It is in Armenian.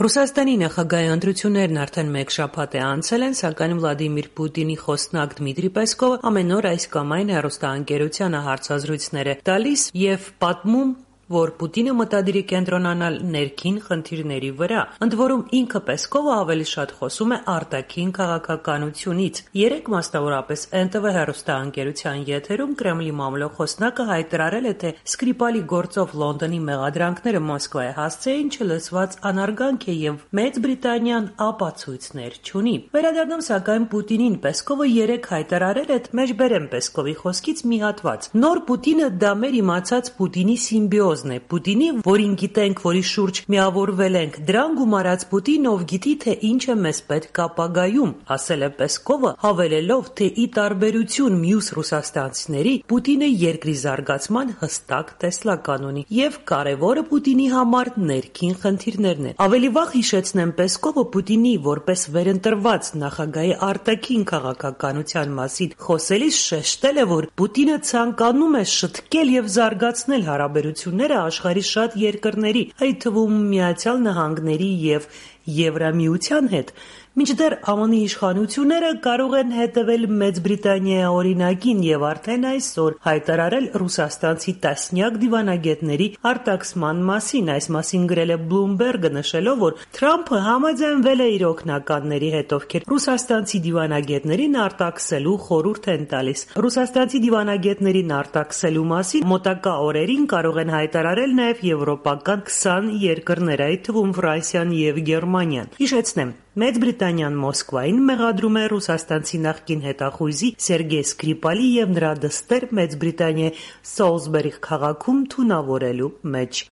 Ռուսաստանի նախագահի ընտրություններն արդեն մեկ շաբաթ է անցել են, սակայն Վլադիմիր Պուտինի խոսնակ Դմիտրի Պեսկովը ամեն օր այս կամ այն հեռուստաընկերությանը հարցազրույցներ է տալիս եւ պատմում, որ Պուտինը մտադիր է կենտրոնանալ ներքին խնդիրների վրա, ընդ որում ինքը Պեսկովը ավելի շատ խոսում է արտաքին քաղաքականությունից։ Երեկ մասնավորապես NTV հեռուստաընկերության եթերում Կրեմլի մամլոխոսնակը հայտարարել է, թե Սկրիպալի գործով Լոնդոնի մեղադրանքները Մոսկվայի հասցեին չլսված անարգանք է եւ Մեծ Բրիտանիան ապացույցներ չունի։ Վերադառնում սակայն Պուտինին Պեսկովը երեկ հայտարարել է, մեջբերեմ Պեսկովի խոսքից մի հատված. Նոր Պուտինը դա մեր իմացած Պուտինի սիմբիոզ Պուտինի, որին գիտենք, որի շուրջ միավորվել ենք, դրան գումարած Պուտին, ով գիտի, թե ինչ է մեզ պետք ապագայում, ասել է Պեսկովը, հավելելով, թե ի տարբերություն մյուս ռուսաստանցիների, Պուտինը երկրի զարգացման հստակ տեսլական ունի եւ կարեւորը Պուտինի համար ներքին խնդիրներն են։ Ավելի վաղ հիշեցնեմ Պեսկովը Պուտինի որպես վերընտրված նախագահի արտաքին քաղաքականության մասին խոսելիս շեշտել է, որ Պուտինը ցանկանում է շտկել եւ զարգացնել հարաբերությունները աշխարհի շատ երկրների, այդ թվում Միացյալ Նահանգների եւ Եվրամիության հետ, մինչդեռ ԱՄՆ-ի իշխանությունները կարող են հետևել Մեծ Բրիտանիայի օրինակին եւ արդեն այսօր հայտարարել ռուսաստանցի տասնյակ դիվանագետների արտաքսման մասին, այս մասին գրել է Bloomberg-ը, նշելով, որ Թրամփը համաձայնվել է իր օգնականների հետ, ովքեր ռուսաստանցի դիվանագետներին արտաքսելու խորհուրդ են տալիս։ Ռուսաստանցի դիվանագետներին արտաքսելու մասին մոտակա օրերին կարող են հայտարարել նաեւ եվրոպական 20 երկրներ, այդ թվում Ֆրանսիան եւ Գերմանիան։ Հիշեցնեմ, Մեծ Բրիտանիան Մոսկվային մեղադրում է ռուսաստանցի նախկին հետախույզի Սերգեյ Սկրիպալի եւ նրա դստեր Մեծ Բրիտանիայի Սոլսբերի քաղաքում թունավորելու մեջ։